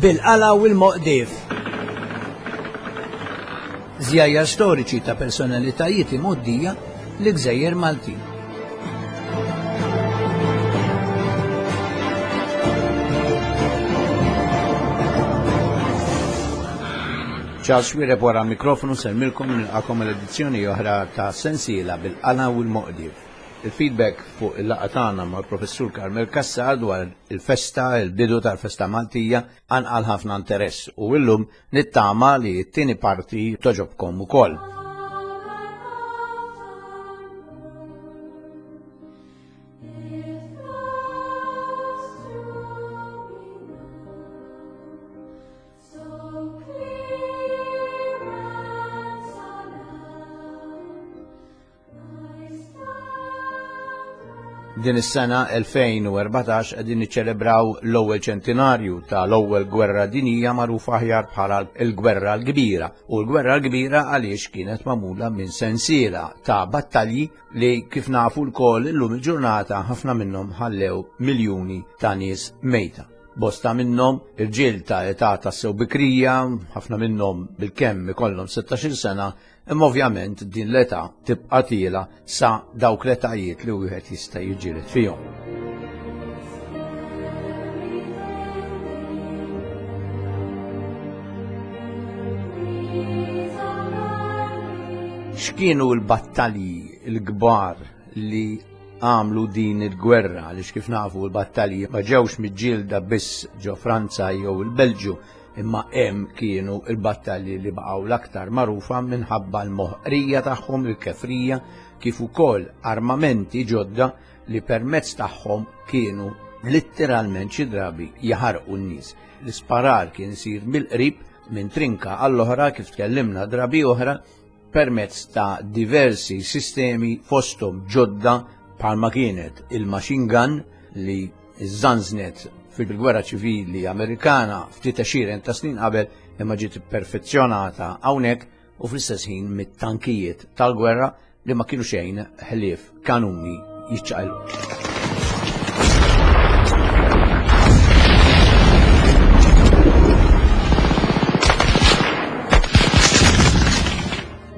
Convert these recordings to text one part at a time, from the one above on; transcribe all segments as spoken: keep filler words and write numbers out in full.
Bil-qala u l-moqdif. Żjajjar storiċi ta' personalitajiet imgħoddija li gżejjer Maltin. Charles Xuereb wara mikrofonu nsellmilkom nilqagħkom l-edizzjoni oħra ta' sensiela bil-qala u l-moqdif. Il-feedback fuq il-laqgħa tagħna mal-Professur Carmel Cassar dwar il-festa, il-bidu tal-festa Maltija, qanqal ħafna interess u illum nittama li t-tieni parti togħġobkom ukoll. Din is-sena elfejn u erbatax qegħdin niċċelebraw l-ewwel ċentinarju tal-ewwel gwerra dinjija, magħrufa aħjar bħala l-Gwerra l-Kbira. U l-Gwerra l-Kbira għaliex kienet magħmula minn sensiela ta' battalji li, kif nafu lkoll illum il-ġurnata, ħafna minnhom ħallew miljuni ta' nies mejta. Bosta minnhom irġiel ta' età tassew bikrija, ħafna minnhom bilkemm ikollhom sittax-il sena, imma ovvjament din l-età tibqa' tiela' sa dawk l-etajiet li wieħed jista' jiġġieled fihom. X'kienu l-battalji l-kbar li għamlu din il-gwerra? Għaliex kif nafu l-battalji ma ġewx miġġielda biss ġo Franza jew il-Belġju, imma hemm kienu il-battalji li baqgħu l-aktar magħrufa minħabba l-moħqrija tagħhom, il-kefrija, kif ukoll armamenti ġodda li permezz tagħhom kienu letteralment xi drabi jaħarqu n-nies. L-isparar kien isir mill-qrib, minn trinka għall-oħra, kif tkellimna drabi oħra, permezz ta' diversi sistemi, fosthom ġodda bħalma kienet il-machine gun li żanżnet fil-gwerra ċivili Amerikana ftit għexieren ta' snin qabel, imma ġiet perfezzjonata hawnhekk, u fl-istess ħin mit-tankijiet tal-gwerra li ma kienu xejn ħlief kanuni jiċċaqilqu.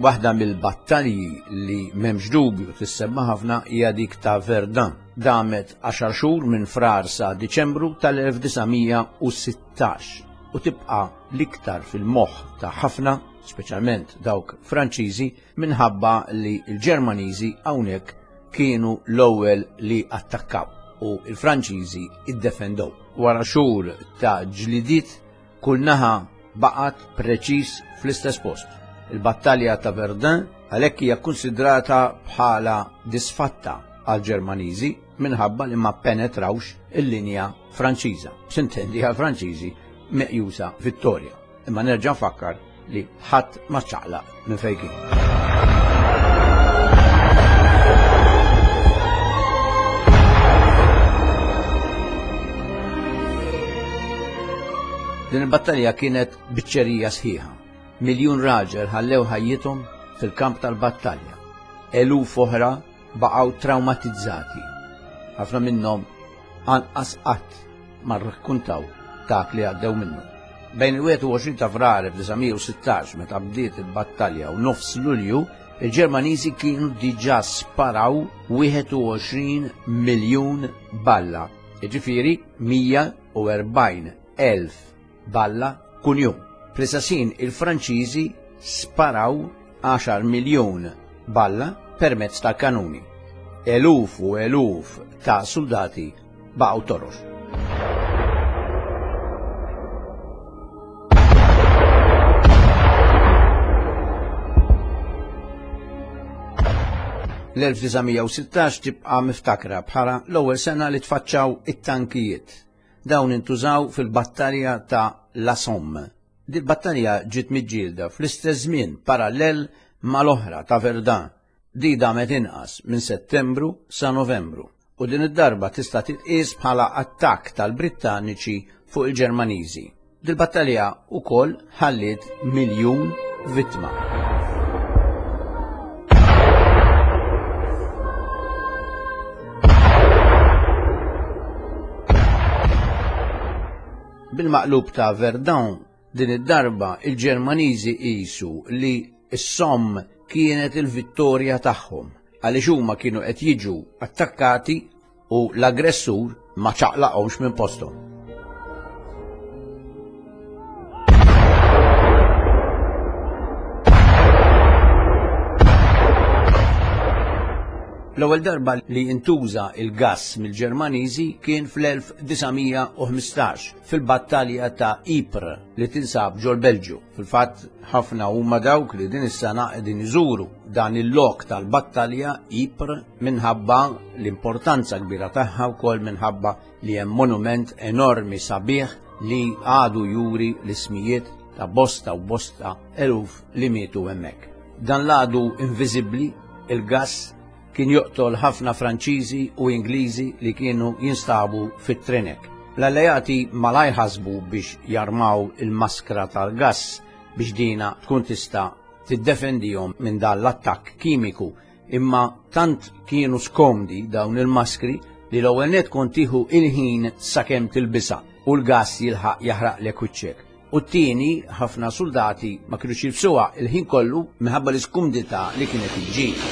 Waħda mill-battalji li m'hemmx dubju tissemma ħafna hija dik ta' Verdun. Damet għaxar xhur, minn Frar sa Diċembru tal-elf disa' mija u sittax, u tibqa' l-iktar fil-moħħ ta' ħafna, speċjalment dawk Franċiżi, minħabba li l-Ġermaniżi hawnhekk kienu l-ewwel li attakkaw u l-Franċiżi iddefendew. Wara xhur ta' ġlidiet, kull naħa baqgħet preċiż fl-istess post. Il-battalja ta' Verdun għalhekk hija konsidrata bħala disfatta għal Ġermaniżi minħabba li ma penetrawx il-linja Franċiża. S'intendi, għal Franċiżi meqjusa vittorja. Imma nerġa' nfakkar li ħadd ma ċaqlaq minn fejn kien. Din il-battalja kienet biċċerija sħiħa. Miljun raġel ħallew ħajjithom fil-kamp tal-battalja. Eluf oħra baqgħu traumatizzati. Ħafna minnhom anqas qatt ma rrakkuntaw dak li għaddew minnu. Bejn il-wieħed u għoxrin ta' Frar elf disa' mija u sittax, meta bdiet il-battalja, u nofs Lulju, il-Ġermaniżi kienu diġà sparaw wieħed u għoxrin miljun balla. Jiġifieri mija u erbgħin elf balla kuljum. Fl-istess ħin, il-Franċiżi sparaw għaxar miljun balla permezz ta' kanuni. Eluf u eluf ta' soldati baqgħu torox. L-elf disa' mija u sittax tibqa' miftakra bħala l-ewwel sena li tfaċċaw it-tankijiet. Dawn intużaw fil-battalja ta' La Somme. Dil battalja ġiet miġġielda fl-istess żmien parallel mal-oħra ta' Verdun. Di damet inqas, minn Settembru sa Novembru. U din id-darba tista' titqies bħala attakk tal-Brittaniċi fuq il-Ġermaniżi. Dil-battalja ukoll ħalliet miljun vittma. Bil-maqlub ta' Verdun, din id-darba il-Ġermaniżi qisu li s-Somme kienet il-vittorja tagħhom għaliex huma kienu qed jiġu attakkati u l-aggressur ma ċaqlaqhomx minn posthom. L-ewwel darba li intuża il-gass mill-Ġermaniżi kien fl-elf disa' mija u ħmistax fil-battalja ta' Ypres li tinsab ġol-Belġju. Fil-fatt ħafna huma dawk li din is-sena qegħdin iżuru dan il-lok tal-battalja Ypres minħabba l-importanza kbira tagħha wkoll minħabba li hemm monument enormi sabiħ li għadu juri l-ismijiet ta' bosta u bosta eluf li mietu hemmhekk. Dan l-għadu inviżibbli, il-gass, kien joqtol ħafna Franċiżi u Ingliżi li kienu jinstabu fit-trinek. L-alleati malaj ħasbu biex jarmaw il-maskra tal-gass biex dina tkun tista' tiddefendihom minn dan l-attakk kimiku, imma tant kienu skomdi dawn il-maskri li l-ewwel nett kont tieħu il-ħin sakemm tilbisha u l-gass jilħaq jaħraqlek wiċċek. U t-tieni, ħafna soldati ma kinux jilbsuha il-ħin kollu minħabba l-iskumdità li kienet iġġib.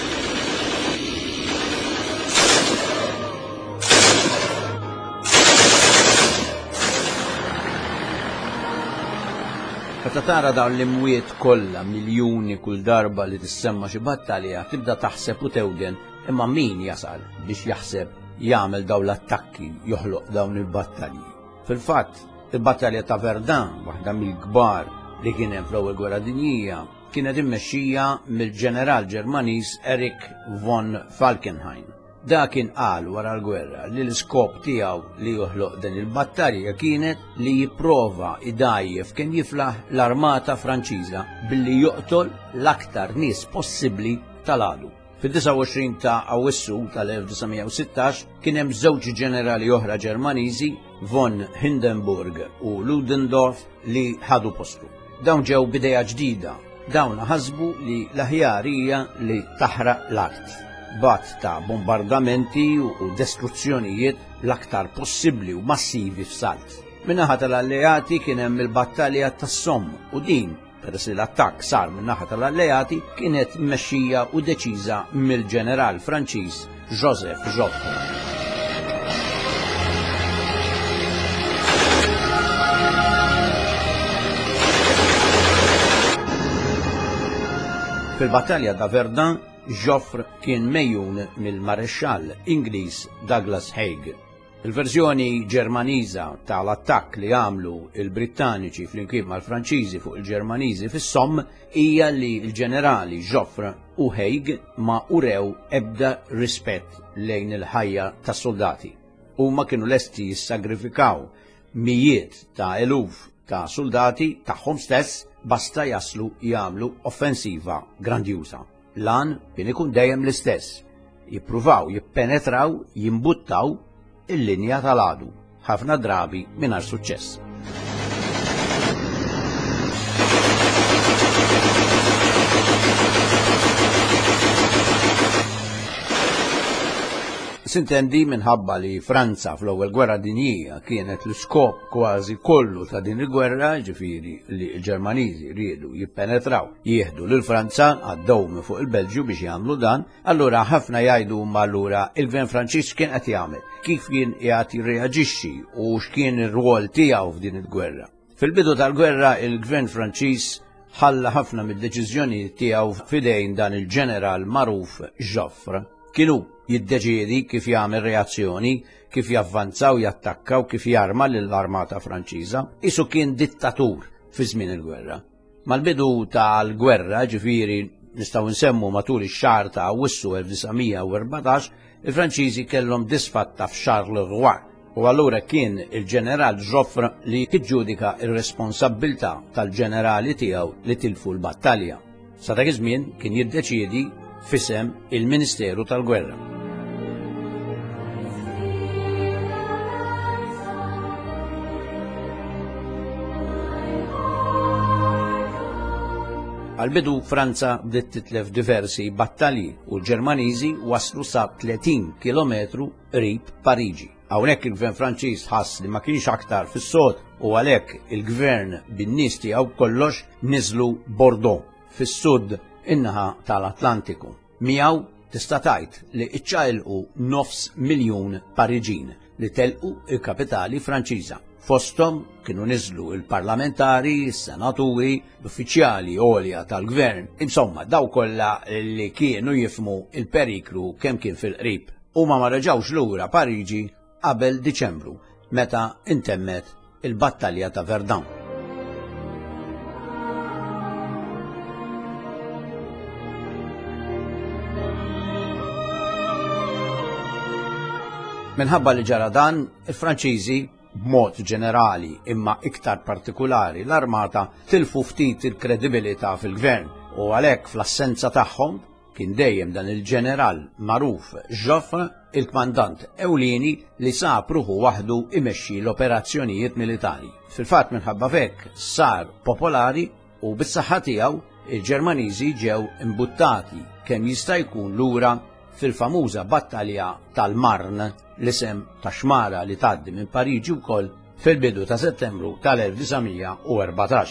Meta tara dawn l-imwiet kollha miljuni kull darba li tissemma xi battalja, tibda taħseb u tewden, imma min jasal biex jaħseb jagħmel dawn l-attakki, joħloq dawn il-battalji. Fil-fatt, il-battalja ta' Verdun, waħda mill-kbar li kien hemm fl-Ewwel Gwerra Dinjija, kienet immexxija mill-ġeneral Ġermaniż Erich von Falkenhayn. Da kien qal wara l-gwerra li l-iskop tiegħu li joħloq din il-battalja kienet li jipprova idajjef kien jiflaħ l-armata Franċiża billi joqtol l-aktar nies possibbli tal-għadu. Fid-disgħa u għoxrin ta' Awwissu tal-elf disa' mija u sittax kien hemm żewġ ġenerali oħra Ġermaniżi, von Hindenburg u Ludendorff, li ħadu postu. Dawn ġew bidejja ġdida. Dawn ħasbu li l-aħjar hija li taħraq l-art. Bat ta' bombardamenti u destruzzjonijiet l-aktar possibbli u massivi f'salt. Min-naħa tal-alleati kien hemm il-battalja tas-Somme u din, peress li l-attakk sar min-naħa tal-alleati, kienet mmexxija u deċiża mill-ġeneral Franċiż Joseph Joffre. Fil-battalja ta' Verdun, Joffre kien mejjun mill-marexxall Ingliż Douglas Haig. Il-verżjoni Ġermaniża tal-attakk li għamlu il-Brittaniċi flimkien mal-Franċiżi fuq il-Ġermaniżi fis-Somme hija li l-ġenerali Joffre u Haig ma urew ebda rispett lejn il-ħajja tas-soldati. Huma kienu lesti jissagrifikaw mijiet ta' eluf ta' soldati tagħhom stess basta jaslu jagħmlu offensiva grandjuża. Lan kien ikun dejjem l-istess, jippruvaw jippenetraw, jimbuttaw il-linja tal-għadu, ħafna drabi mingħajr suċċess. Sintendi minħabba li Franza fl-ewwel gwerra dinjija kienet l-iskop kważi kollu ta' din il-gwerra, ġifieri li l-Ġermaniżi riedu jippenetraw, jieħdu lil Franza, għaddew minn fuq il-Belġju biex jagħmlu dan, allura ħafna jgħidu huma allura il-gvern Franċiż kien qed jagħmel, kif kien qiegħed jirreaġixxi u x'kien ir-rwol tiegħu f'din il-gwerra. Fil-bidu tal-gwerra il-gvern Franċiż ħalla ħafna mid-deċiżjonijiet tiegħu f'idejn dan il-ġeneral magħruf Joffre. Kienu jiddeċiedi kif jagħmel reazzjoni, kif javvanzaw, jattakkaw, kif jarma lill-armata Franċiża. Isu kien dittatur fi żmien il-gwerra. Mal-bidu tal-gwerra, ġifieri nistgħu nsemmu matul ix-xahar ta' Awwissu elf disa' mija u erbatax, il-Franċiżi kellhom disfatta f'Charleroi u allura kien il-ġeneral Joffre li jiġġudika r-responsabbiltà tal-ġenerali tiegħu li tilfu l-battalja. Sa dak iż-żmien kien jiddeċiedi f'isem il-Ministeru tal-Gwerra. Għal-bidu Franza bdiet titlef diversi battalji u l-Ġermaniżi waslu sa tletin kilometru qrib Pariġi. Hawnhekk il-gvern Franċiż ħass li ma kienx aktar fis-sod u għalhekk il-gvern bin-nies tiegħu kollox niżlu Bordeaux fis-sud in-naħa tal-Atlantiku. Miegħu tista' tgħid li iċċaqilqu nofs miljun Pariġin li telqu il-kapitali Franċiża. Fosthom kienu niżlu il-parlamentari, is-senaturi, l-uffiċjali għolja tal-gvern, insomma daw kollha li kienu jifmu il-periklu kemm kien fil-qrib. Huma ma reġgħux lura Pariġi qabel Diċembru, meta intemmet il-battalja ta' Verdun. Minħabba li ġara dan, il-Franċiżi b'mod ġenerali imma iktar partikulari l-armata tilfu ftit il-kredibilità fil-gvern u għalhekk fl-assenza tagħhom kien dejjem dan il-ġeneral magħruf Joffre, il-kmandant ewlieni li sab ruħu waħdu imexxi l-operazzjonijiet militari. Fil-fatt minħabba f'hekk sar popolari u bis-saħħa tiegħu il-Ġermaniżi ġew imbuttati kemm jista' jkun lura fil-famuża battalja tal-Marne, l-isem ta' xmara li tgħaddi minn Pariġi wkoll fil-bidu ta' Settembru tal-elf disa' mija u erbatax.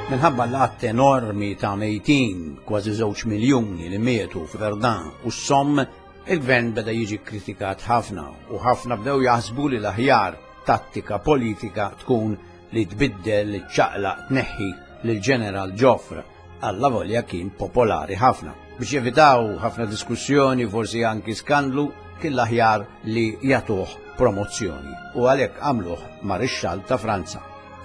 Minħabba l-għadd enormi ta' mejtin, kważi żewġ miljuni li mietu f'Verdun u s-Somme, il-gvern beda jiġi kritikat ħafna u ħafna bdew jaħsbu li l-aħjar tattika politika tkun li tbiddel, li ċċaqlaq, tneħħi lil ġeneral Joffre, alla volja kien popolari ħafna. Biex jevitaw ħafna diskussjoni, forsi anki skandlu, kien l-aħjar li jagħtuh promozzjoni u għalhekk għamluh marixxall ta' Franza.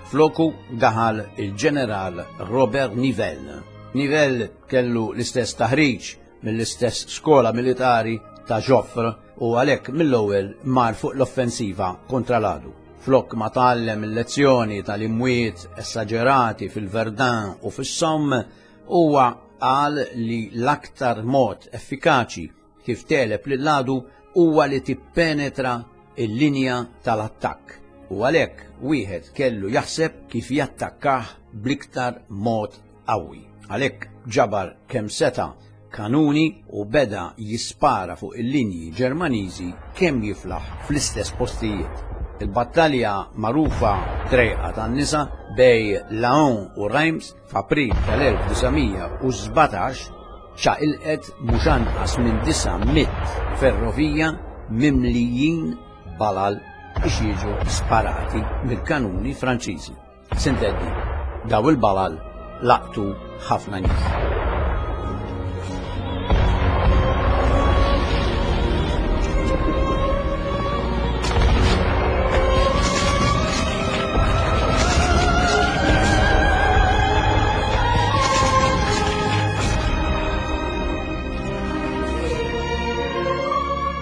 Floku daħal il-ġeneral Robert Nivelle. Nivelle kellu l-istess taħriġ mill-istess skola militari ta' Joffre u għalhekk mill-ewwel mar fuq l-offensiva kontra l-għadu. Flok ma tgħallem il-lezzjoni tal-imwiet esaġerati fil-Verdun u fis-Somme, huwa qal li l-aktar mod effikaċi kif teleb lill-għadu huwa li tippenetra il-linja tal-attakk. U għalhekk wieħed kellu jaħseb kif jattakkah bl-iktar mod qawwi. Għalhekk ġabar kemm seta' kanuni u beda jispara fuq il-linji Ġermaniżi kemm jiflaħ fl-istess postijiet. Il-battalja magħrufa trejqa tan-nisa bej Laon u Reims f'April tal-elf disa' mija u sbatax ċaqilqet mhux anqas minn disa' mitt ferrovija mimlijin balal biex jiġu sparati mill-kanuni Franċiżi. Sintendi, daw il-balal laqtu ħafna nies.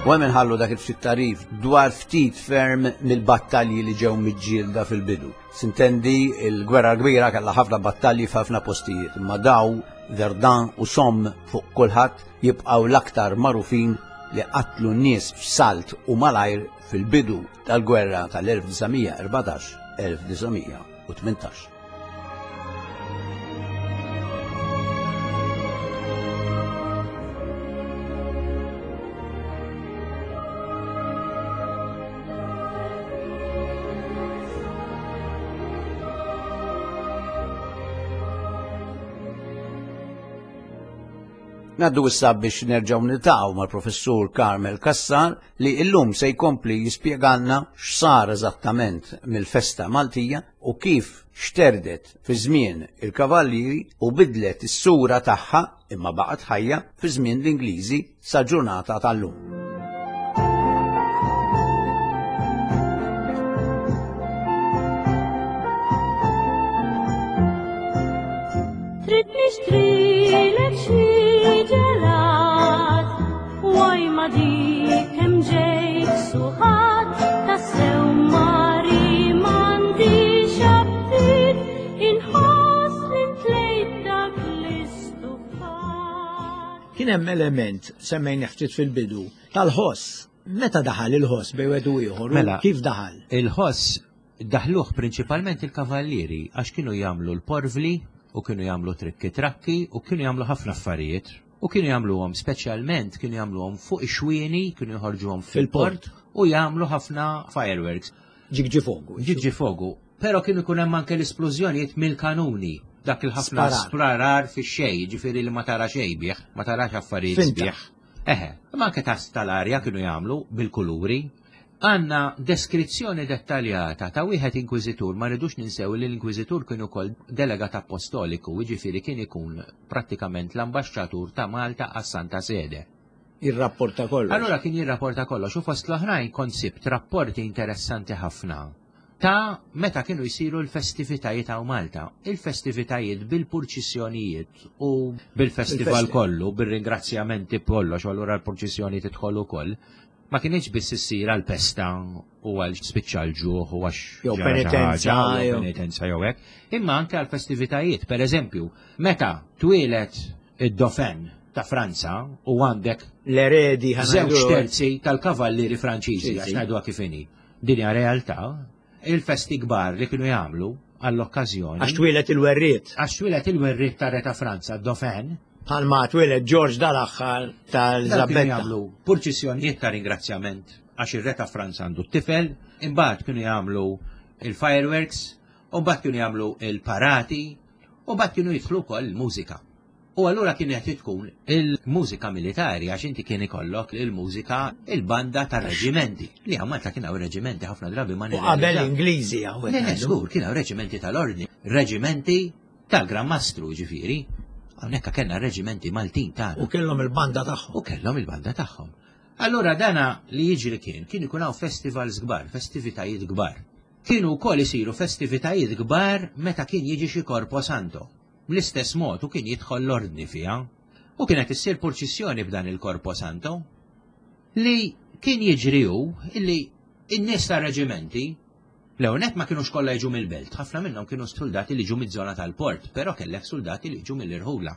U hemm inħallu dak il-ftit tarif dwar ftit ferm mill-battalji li ġew miġġielda fil-bidu. Sintendi, il-gwerra kbira kellha ħafna battalji f'ħafna postijiet, imma daw Verdun u Somme fuq kulħadd jibqgħu l-aktar magħrufin li qatlu n-nies f'salt u malajr fil-bidu tal-gwerra tal-elf disa' mija erbatax elf disa' mija u tmintax. Naddu issa biex nerġgħu niltaqgħu mal-Professur Carmel Cassar li illum se jkompli jispjegalna x'sar eżattament mill-festa Maltija u kif xterdet fi żmien il-Kavallieri u bidlet is-sura tagħha imma baqgħet ħajja fi żmien l-Ingliżi sa ġurnata tal-lum. Trid nixtrilek xi ġelat, waj ma dik hemm ġejt suħat, tassew mari m'għandix aptit, inħoss li ntlejt dak l-istufat. Kien hemm element semmejna ftit fil-bidu tal-ħoss. Meta daħal il-ħoss bejn wieħed u ieħor? Mela, kif daħal? Il-ħoss Daħluh prinċipalment il-kavallieri għax kienu jagħmlu l-porvli u kienu jagħmlu trikki trakki u kienu jagħmlu ħafna affarijiet. U kienu jagħmluhom speċjalment kienu jagħmluhom fuq ix-xwieni, kienu joħorġuhom fil-port u jagħmlu ħafna fireworks. Ġigġi fogu. Ġigġi fogu. Però kienu jkun hemm anke l-isplużjonijiet mill-kanuni. Dak il-ħafna Sparar. sprarar fix-xejn, ġifieri li ma tara xejn bih, ma tarax affarijiet Finta. sbieħ. Eħe, imma anke tas tal-arja kienu jagħmlu bil-kuluri. Għanna deskrizzjoni dettaljata ta' wieħed inkwiżitur, ma rridux ninsew li l-inkwiżitur kien ukoll delegat apostoliku, jiġifieri kien ikun prattikament l-ambaxxatur ta' Malta għas-Santa Sede. Jirrapporta kollox. Allura kien jirrapporta kollox u fost l-oħrajn kont sibt rapporti interessanti ħafna ta' meta kienu jsiru l-festivitajiet ta' Malta. Il-festivitajiet bil-purċissjonijiet u bil-festival Il-festi. kollu, bil-ringrazzjamenti kollox, u allura l-purċissjoni tidħol ukoll. Ma kienx biss issir għal-pesta u għal spiċċa l-ġuħ u għax Jew ġara xi penitenza, ħaġa, jew jew- penitenza jew hekk, imma anke għal-festivitajiet. Per eżempju, meta twieled id-Dauphin ta' Franza u għandek L-eredi żewġ ħanajdu. terzi tal-kavallieri Franċiżi, Sì, għax sì. ngħiduha kif inhi. Din hija realtà, il-festi kbar li kienu jagħmlu għall-okkażjoni. Għax twieled il-werriet. Għax twieled il-werriet ta' re ta' Franza, Dauphin, Bħalma twieled George dal-aħħar dawn kienu tal-Zabetta. jagħmlu purċissjonijiet ta' ringrazzjament għax ir-re ta' Franza għandu t-tifel, imbagħad kienu jagħmlu il-fireworks, u mbagħad kienu jagħmlu il-parati, u mbagħad kienu jidħlu wkoll il-mużika. U allura kienet tkun il-mużika militari, għax inti kien ikollok il-mużika il-banda tar-reġimenti. Li hawn Malta kien hawn reġimenti ħafna drabi ma U qabel nirrealizzaw. Ingliżi hawnhekk Le, le, ngħidu. żgur, kien hawn reġimenti tal-ordni, reġimenti tal-Gran Mastru, ġifieri. Hawnhekk kellna reġimenti Maltin tagħna U kellhom il-banda tagħhom. u kellhom il-banda tagħhom. Allura dana li jiġri kien, kien ikun hawn festivals kbar, festivitajiet kbar. Kienu wkoll isiru festivitajiet kbar meta kien jiġi xi Corpo Santo. Bl-istess mod u kien jidħol l-ordni fiha. U kienet issir purċissjoni b'dan il-Corpo Santo li kien jiġri hu illi in-nies ta' reġimenti l-ewwel ma kienux kollha jiġu mill-belt, ħafna minnhom kienu soldati li ġu miż-żona tal-port, però kellek soldati li ġu mill-irħula.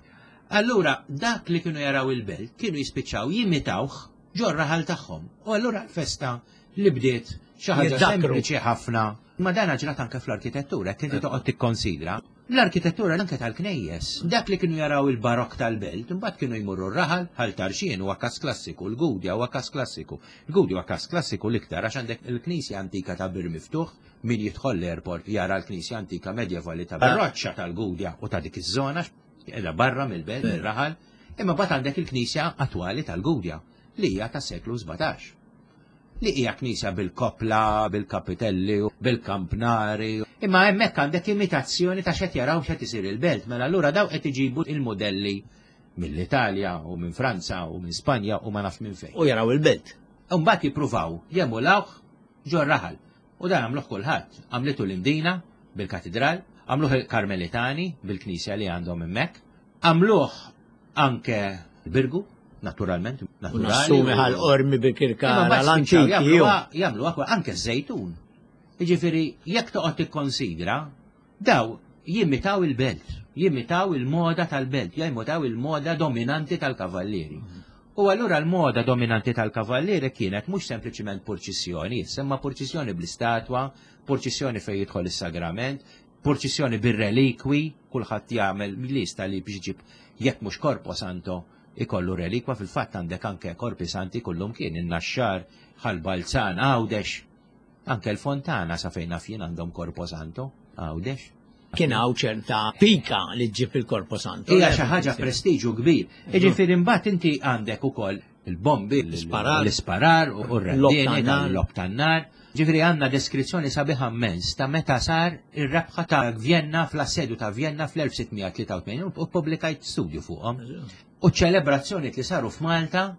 Allura dak li kienu jaraw il-belt kienu jispiċċaw jimitawh ġor-raħal tagħhom. U allura l-festa li bdiet xi ħaġa Jiddakkru. sempliċi ħafna. Ma dan ġrat anke fl-arkitettura, jekk inti toqgħod tikkonsidra. L-arkitettura anke tal-knejjes, dak li kienu jaraw il-barok tal-belt, imbagħad kienu jmurru r-raħal, Ħal Tarxien huwa kas klassiku, l-Gudja huwa kas klassiku. Il-Gudja huwa kas klassiku l-iktar għax għandek il-knisja antika ta' Bir Miftuħ, min jidħol l-airport jara l-knisja antika medjevali ta' Roċċa tal-Gudja u ta' dik iż-żona, qiegħda barra mill-belt, mir-raħal, imma mbagħad għandek il-knisja attwali tal-Gudja li hija tas-seklu sbatax. Li hija knisja bil-kopla, bil-kapitelli, bil-kampnari. Imma hemmhekk għandek imitazzjoni ta' x'qed jaraw x'qed isir il-belt. Mela allura daw qed iġibu il-modelli mill-Italja u minn Franza u minn Spanja u ma naf minn fejn. U jaraw il-belt. U mbagħad jippruvaw jemulawh ġor raħal. U dan għamluh kulħadd. Għamlitu l-Imdina bil-katedral, għamluh il-Karmelitani bil-knisja li għandhom hemmhekk, għamluh anke l-Birgu, naturalment, U naturali. nassumi Ħal Qormi bil-Kirkara, Imma mbagħad spiċċaw l-antiki. jew. jagħmluha- Jagħmluha kwa- anke ż-żejtun. Jiġifieri jekk toqgħod tikkonsidra, daw jimitaw il-belt, jimitaw il-moda tal-belt, jimitaw il-moda dominanti tal-kavallieri. U allura l-moda dominanti tal-kavallieri kienet mhux sempliċiment purċissjoni, imma purċissjoni bl-istatwa, purċissjoni fejn jidħol is-sagrament, purċissjoni bir-relikwi, kulħadd jagħmel lista li biex iġib jekk mhux Corpo Santo ikollu relikwa, fil-fatt għandek anke korpi santi kullum kien in-Naxxar, Ħal Balzan, Għawdex, anke l-Fontana sa fejn naf jien għandhom Corpo Santo, Għawdex. Kien hawn ċerta pika li ġġib il-Corpo Santo. Hija xi ħaġa prestiġu kbir. Jiġifieri imbagħad inti għandek ukoll il-bombi, L-isparar. l-isparar u r-rendini, L-lob tan-nar. l-lob tan-nar. Ġifieri għandna deskrizzjoni sabiħa immens ta' meta sar ir-rebħa ta' Vienna fl-assedju ta' Vienna fl-elf sitt mija tlieta u tmenin u ppubblikajt studju fuqhom. U ċelebrazzjoni li saru f'Malta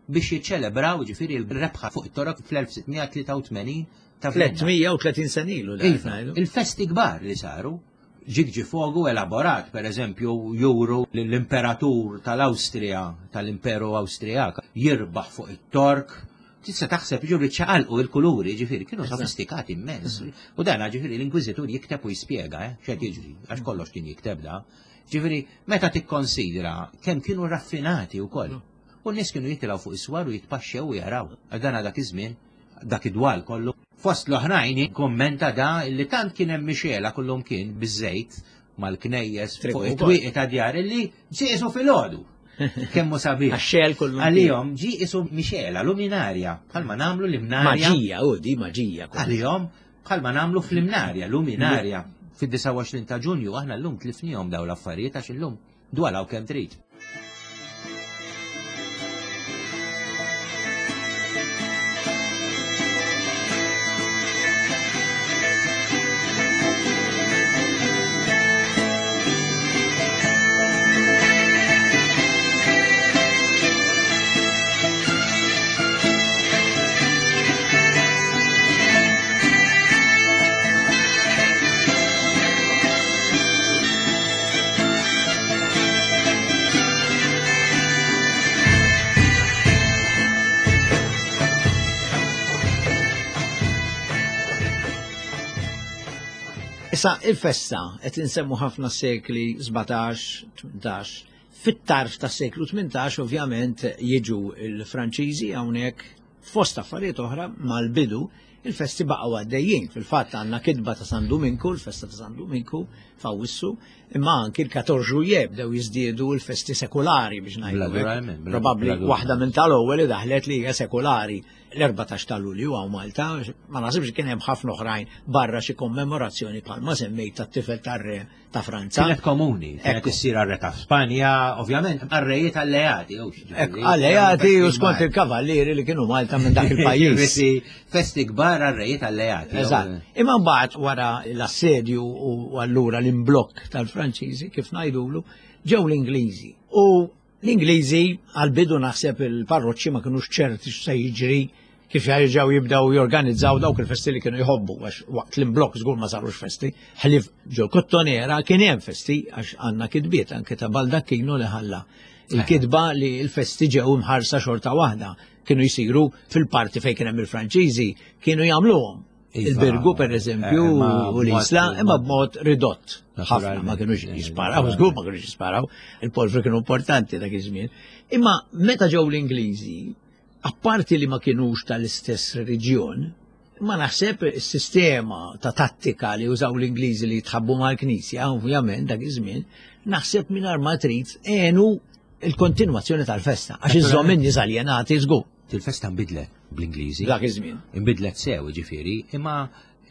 biex jiċċelebraw ġifieri l-rebħa fuq it-Torok fl-elf sitt mija tlieta u tmenin ta' Vienna. tliet mija u tletin sena ilu da Iva, ngħidu. il-festi kbar li saru, ġigġi fogu elaborat, per eżempju, juru l-imperatur tal-Awstrija, tal-Imperu Awstrijak, jirbaħ fuq it-Tork. Tista' taħseb ġuri ċaqalqu il-kuluri, ġifieri, kienu sofistikati immens. U dan ġifieri l-Inkwiżitur jikteb u jispjega, eh, x'qed jiġri, għax kollox kien jikteb da. Ġifieri, meta tikkonsidra kemm kienu raffinati wkoll. U n-nies kienu jitilgħu fuq is-swar u jitpaxxew u jaraw. Għax dan dak iż-żmien Dak id-dwal kollu. Fost l-oħrajn kommenta da li tant kien hemm mixela kullum kien biż-żejt mal-knejjes fuq it-twieqi ta' djar illi ġie qisu filgħodu. Kemm hu sabiħ. Għax-xegħel kullum kien. Għalihom ġie qisu mixela, luminarja, bħalma nagħmlu l-imnarja. Maġija, u di maġija. Għalihom bħalma nagħmlu fl-imnarja, luminarja. Fid-disgħa u għoxrin ta' Ġunju aħna llum tlifnihom dawn l-affarijiet għax illum dwalaw kemm trid. Issa il-festa qed insemmu ħafna sekli sbatax, tmintax. Fit-tarf tas seklu tmintax ovvjament jiġu il-Franċiżi hawnhekk fost affarijiet oħra mal-bidu il-festi baqgħu għaddejjin. Fil-fatt għandna kitba ta' San Duminku, il-festa ta' San Duminku f'Awwissu, imma anki l-quatorze juillet bdew jiżdiedu l-festi sekulari biex ngħidu hekk. Naturalment, bla- Probabbli bla dubju. waħda minn tal-ewwel li daħlet li hija sekulari. L-erbatax ta' Lulju hawn Malta, ma naħsibx kien hemm ħafna oħrajn barra xi kommemorazzjoni bħalma semmejt tat-tifel tar-re ta' Franza. Kienet komuni, kienet Ekku. issir għar-re ta' Spanja, ovvjament għar-rejiet alleati, jew xi Ekku, ġifieri. alleati u Festi skont kbar. il-kavallieri li kienu Malta minn dak il-pajjiż. Festi, festi kbar għar-rejiet alleati. jew- Eżatt. Imma mbagħad wara l-assedju u allura l-imblokk tal-Franċiżi, kif ngħidulu, ġew l-Ingliżi. U l-Ingliżi għal-bidu naħseb il-parroċċi ma kinux ċerti x'se jiġri kif jerġgħu jibdew jorganizzaw dawk il-festi li kienu jħobbu, għax waqt l-imblokk żgur ma sarux festi, ħlief ġo Kottonera kien hemm festi għax għandna kitbiet anke ta' Baldacchino li ħalla il-kitba li l-festi ġew imħarsa xorta waħda, kienu jsiru fil-parti fejn kien hemm il-Franċiżi, kienu jagħmluhom. Iva, Il-Birgu per eżempju eh, ma u l-Isla, b'mod- imma b'mod ridott. Ħafna ma Naturalment. kienux jisparaw, żgur ma kienux jisparaw, il-polfri kienu importanti dak iż-żmien. Imma meta ġew l-Ingliżi, apparti li ma kienux tal-istess reliġjon, ma naħseb is-sistema ta' tattika li użaw l-Ingliżi li jitħabbu mal-Knisja, ovvjament dak iż-żmien, naħseb mingħajr ma trid għenu il-kontinwazzjoni tal-festa, għax iżżomm in-nies aljenati żgur. Il-festa nbidlet bl-Ingliżi. Dak iż-żmien. Inbidlet sew, ġifieri, imma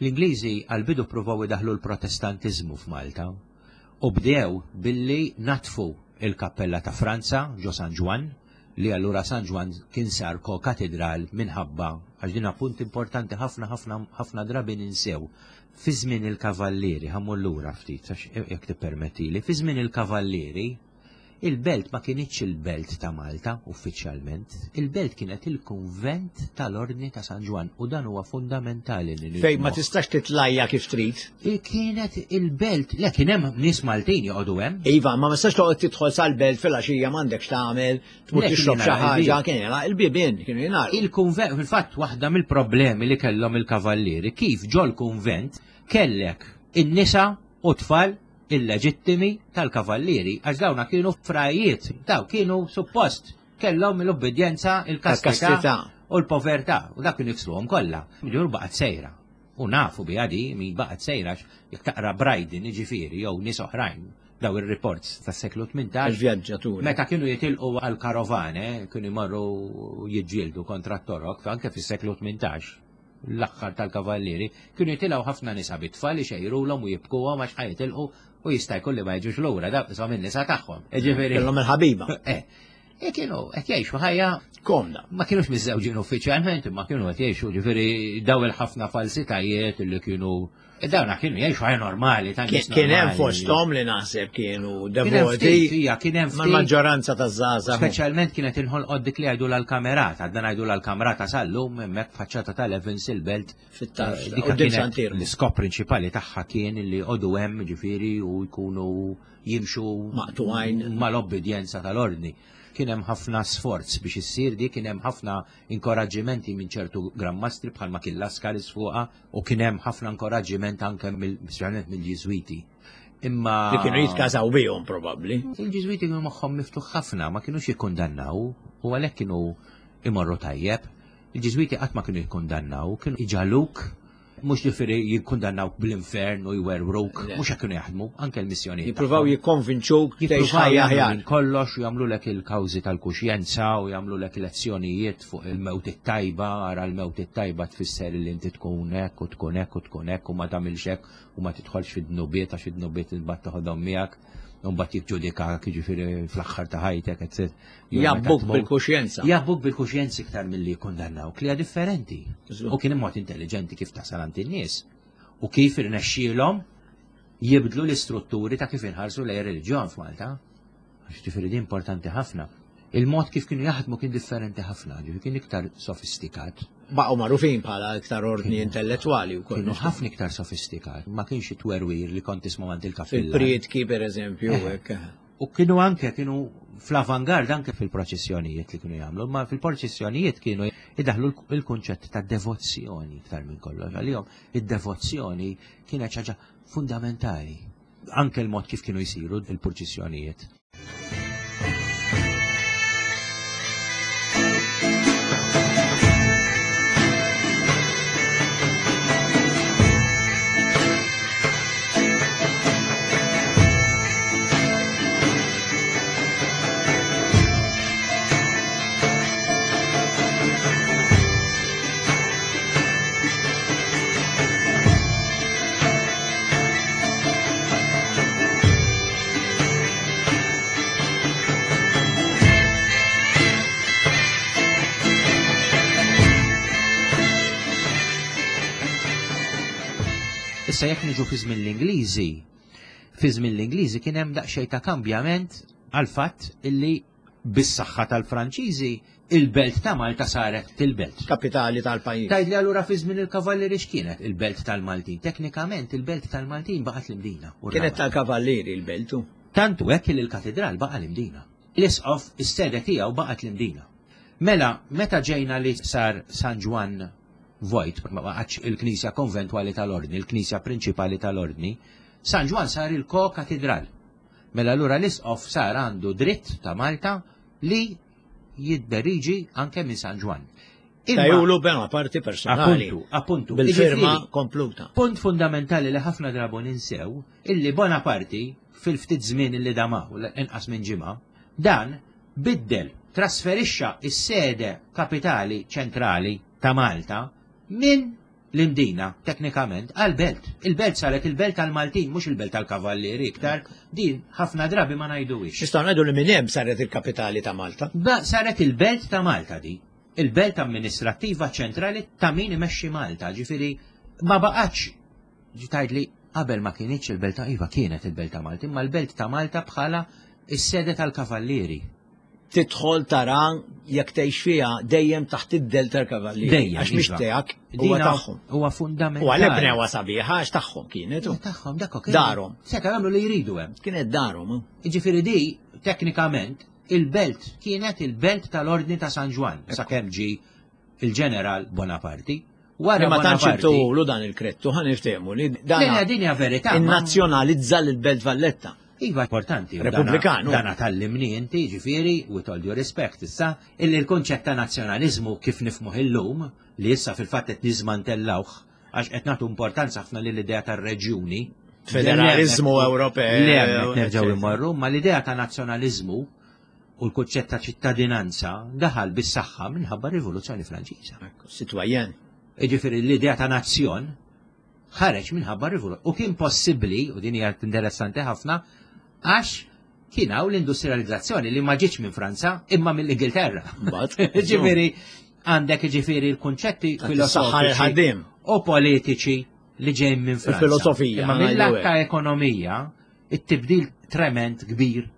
l-Ingliżi għal-bidu provaw idaħlu l-Protestantiżmu f'Malta u bdew billi natfu il-kappella ta' Franza ġo San Ġwann, li allura San Ġwann kien sar ko-katedral minħabba, għax din punt importanti ħafna ħafna ħafna drabi ninsew. Fi żmien il-Kavallieri, ħammur lura ftit, għax jekk tippermettili, fi żmien il-Kavallieri, il-belt ma kienitx il-belt ta' Malta uffiċjalment, il-belt kienet il-kunvent tal-Ordni ta' San Ġwann u dan huwa fundamentali li Fejn ma nifhmuh. tistax titlajja kif trid. Kienet il-belt, le kien hemm nies Maltin joqogħdu hemm. Iva, ma tistax toqgħod tidħol sal-belt fil-għaxija m'għandekx tagħmel, tmur Le, kien tixrob xi jingħalaq ħaġa, il-bib. kien jingħalaq il-bibien, kienu jingħalqu. Il-kunvent, fil-fatt waħda mill-problemi li kellhom il-kavallieri, kif ġol kunvent kellek in-nisa u tfal illeġittimi tal-kavallieri, għax dawna kienu frajiet, daw kienu suppost kellhom l-obbedjenza, il-kastità Tal-kastità. u l-povertà, u dak kienu jifsluhom kollha. Ġur baqgħet sejra. U nafu biha di min baqgħet sejra jekk taqra Brydon jiġifieri jew nies oħrajn daw ir-reports tas-seklu tmintax. Il-vjaġġaturi. Meta kienu jitilqu għal-karovane, kienu jmorru jiġġieldu kontra t-Torok, anke fis-seklu tmintax, l-aħħar tal-kavallieri, kienu jitilgħu ħafna nisa bit-tfal ixejrulhom u jibkuhom għax ħa jitilqu u jista' jkun li ma jiġux lura, da qishom in-nisa tagħhom. Jiġifieri- Kellhom il-ħabiba. Eh, e kienu qed jgħixu ħajja Komda. Ma kienux miżżewġin uffiċjalment, imma kienu qed jgħixu ġifieri daw il-ħafna falsitajiet li kienu dawna kienu jgħixu ħajja normali, ta' nies Kien hemm normali. fosthom li naħseb kienu Kien hemm devoti. ftit, hija, kien hemm Ma ftit. l-maġġoranza taż-żgħażagħ. Speċjalment kienet inħolqot dik li jgħidu l-kamerata, dan jgħidu l-kamerata sal-lum hemmhekk faċċata tal-Evans il-belt. Fit-tarf, Eh, dik quddiem kienet Sant'Iermu. L-iskop prinċipali tagħha kien li joqogħdu hemm ġifieri u jkunu jimxu Maqtugħin. mal-obbedjenza tal-ordni. Kien hemm ħafna sforz biex issir di, kien hemm ħafna inkoraġġimenti minn ċertu grammastri bħalma kien Lascaris fuqha u kien hemm ħafna inkoraġġiment anke mill- speċjalment mill-Ġiżwiti. Imma Li kienu jitkażaw bihom probabbli. Il-Ġiżwiti kienu moħħhom miftuħ ħafna, ma kienux jikkundannaw u għalhekk kienu imorru tajjeb. Il-Ġiżwiti qatt ma kienu jikkundannaw, kienu iġaluk, mhux ġifieri jikkundannawk bl-infern u jwerwruk, mhux hekk kienu jaħdmu, anke l-missjonijiet. Jippruvaw jikkonvinċuk tgħix Jippruvaw ħajja jagħmlu aħjar. minn kollox u jagħmlulek il-kawżi tal-kuxjenza u jagħmlulek lezzjonijiet fuq il-mewt it-tajba, ara l-mewt it-tajba tfisser li inti tkun hekk u tkun hekk u tkun hekk u ma tagħmilx hekk u ma tidħolx fid-dnubiet għax id-dnubiet imbagħad toħodhom miegħek u mbagħad jiġġudikak jiġifieri fl-aħħar ta' ħajtek, et cetera. Jew meta Jabbuk tmut. bil-kuxjenza. Jabbuk bil-kuxjenza iktar milli jikkundannawk li hija differenti. Żgur. U kien mod intelligenti kif tasal għand in-nies u kif irnexxielhom jibdlu l-istrutturi ta' kif inħarsu lejn reliġjon f'Malta. Għax ġifieri din importanti ħafna. Il-mod kif kienu jaħdmu kien differenti ħafna, ġifieri kien iktar sofistikat. Baqgħu magħrufin bħala iktar ordni intellettwali wkoll. Kienu ħafna iktar sofistikat, ma kienx it-twerwir li kont tisma' għand il-kappillan. Fil-prietki per eżempju, Eh. hekk. U kienu anke kienu fl-avangard anke fil-proċessjonijiet li kienu jagħmlu, ma fil-proċessjonijiet kienu idaħlu il-kunċett ta' devozzjoni iktar minn kollox. Għalihom id-devozzjoni kienet ħaġa fundamentali. Anke l-mod kif kienu jsiru il-proċessjonijiet. Issa jekk niġu fi żmien l-Ingliżi, fi żmien l-Ingliżi kien hemm daqsxejn ta' kambjament għal fatt illi bis-saħħa tal-Franċiżi il-belt ta' Malta saret il-belt. Kapitali tal-pajjiż. Tgħidli allura fi żmien il-Kavallieri x'kienet il-belt tal-Maltin? Teknikament il-belt tal-Maltin baqgħet l-Imdina. u Kienet r-Rabat. tal-kavallieri l-beltu. Tantu hekk li l-katedral baqa' l-Imdina. L-isqof is-sede tiegħu baqgħet l-Imdina. Mela, meta ġejna li sar San Ġwann vojt, ma baqgħetx il-Knisja Konventwali tal-Ordni, il-Knisja Prinċipali tal-Ordni, San Ġwann sar il-ko-katedral. Mela allura l-isqof sar għandu dritt ta' Malta li jidderiġi anke minn San Ġwann. Imma- Tajulu bena parti personali. Appuntu, appuntu. Bil-firma Jiġifieri, kompluta. Punt fundamentali li ħafna drabu ninsew, illi Bonaparte fil-ftit żmien illi damaw, inqas minn ġimgħa, dan biddel, trasferixxa is-sede kapitali ċentrali ta' Malta minn l-Imdina, teknikament, għal-belt. Il-belt saret il-belt tal-Maltin, mhux il-belt tal-Kavallieri iktar, din ħafna drabi ma ngħiduhiex. Nistgħu ngħidu li minn hemm saret il-kapitali ta' Malta. Ba saret il-belt ta' Malta di, il-belt amministrattiva ċentrali ta' min imexxi Malta, ġifieri ma baqgħetx ġi li qabel ma kienitx il-belt ta' iva kienet il-belt ta' Malta, imma l-belt ta' Malta bħala is-sede tal-Kavallieri. Tidħol tara jekk tgħix fiha dejjem taħt id-del tal-kavallieri. Dejjem, Għax mhix iva. tiegħek, huwa Dina tagħhom. Huwa fundamentali. U għalhekk bnewha sabiħa għax tagħhom kienet. u. Huwa tagħhom dak kien- Darhom. Seta' jagħmlu li jridu hemm. Kienet darhom. hu. Jiġifieri di teknikament il-belt kienet il-belt tal-Ordni ta' San Ġwann sakemm ġi il-ġeneral Bonaparte. Wara Ma tantx Bonaparte. intulu dan il-krettu ħa niftehmu li dan Lejna din hija verità. ma- innazzjonalizza l-Belt Valletta. Iva importanti. u dana- Repubblikan, u. Dana tallimni inti, ġifieri, with all due respect, issa, illi l-konċett ta' nazzjonalizmu kif nifhmuh illum, li issa fil-fatt qed niżmantellawh, għax qed nagħtu importanza ħafna lill-idea tar-reġjuni. Federalizmu Ewropew, Le hemmhekk nerġgħu eccetera. immorru, ma l-idea ta' nazzjonalizmu u l-kunċett ta' ċittadinanza daħal bis-saħħa minħabba r-Rivoluzzjoni Franċiża. Ekku, Citoyen. Jiġifieri l-idea ta' nazzjon ħareġ minħabba r-rivoluzzjoni. U kien possibbli, u din hija interessanti ħafna, għax kien hawn l-industrializzazzjoni li ma ġietx minn Franza imma mill-Ingilterra. Mbagħad, Ġifieri għandek ġifieri l-kunċetti Saħħar filosofiċi il-ħaddiem. u politiċi li ġejjin minn Franza. Il-filosofija, Imma ngħidu mill-lat hekk. ta' ekonomija, it-tibdil trement kbir